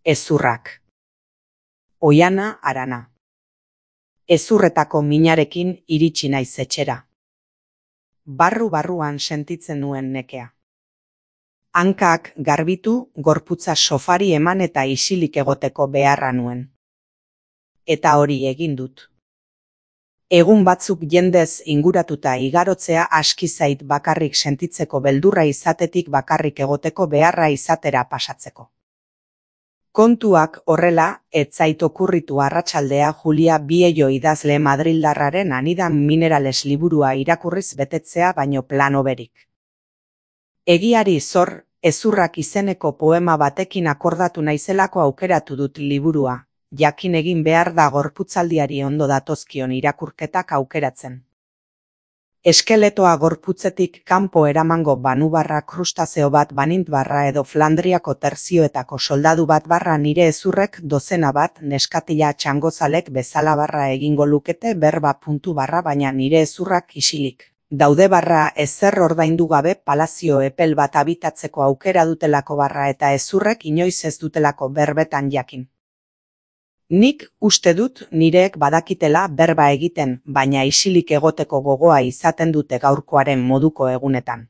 Hezurrak. Oihana Arana. Hezurretako minarekin iritsi naiz etxera. Barru-barruan sentitzen nuen nekea. Hankak garbitu, gorputza sofari eman eta isilik egoteko beharra nuen. Eta hori egin dut. Egun batzuk jendez inguratuta igarotzea aski zait bakarrik sentitzeko beldurra izatetik bakarrik egoteko beharra izatera pasatzeko. Kontuak horrela, ez zait okurritu arratsaldea Julia Viejo idazle madrildarraren Anidan Minerales liburua irakurriz betetzea baino plan hoberik. Egiari zor, hezurrak izeneko poema batekin akordatu naizelako aukeratu dut liburua, jakin egin behar da gorputzaldiari ondo datozkion irakurketak aukeratzen. Eskeletoa gorputzetik kanpo eramango banubarra krustazeo bat banintbarra edo Flandriako terzioetako soldadu bat barra nire hezurrek dozena bat neskatila txangozalek bezala barra egingo lukete berba puntu barra baina nire hezurrak isilik. Daude barra ezer ordaindu gabe palazio epel bat abitatzeko aukera dutelako barra eta hezurrek inoiz ez dutelako berbetan jakin. Nik uste dut nireek badakitela berba egiten, baina isilik egoteko gogoa izaten dute gaurkoaren moduko egunetan.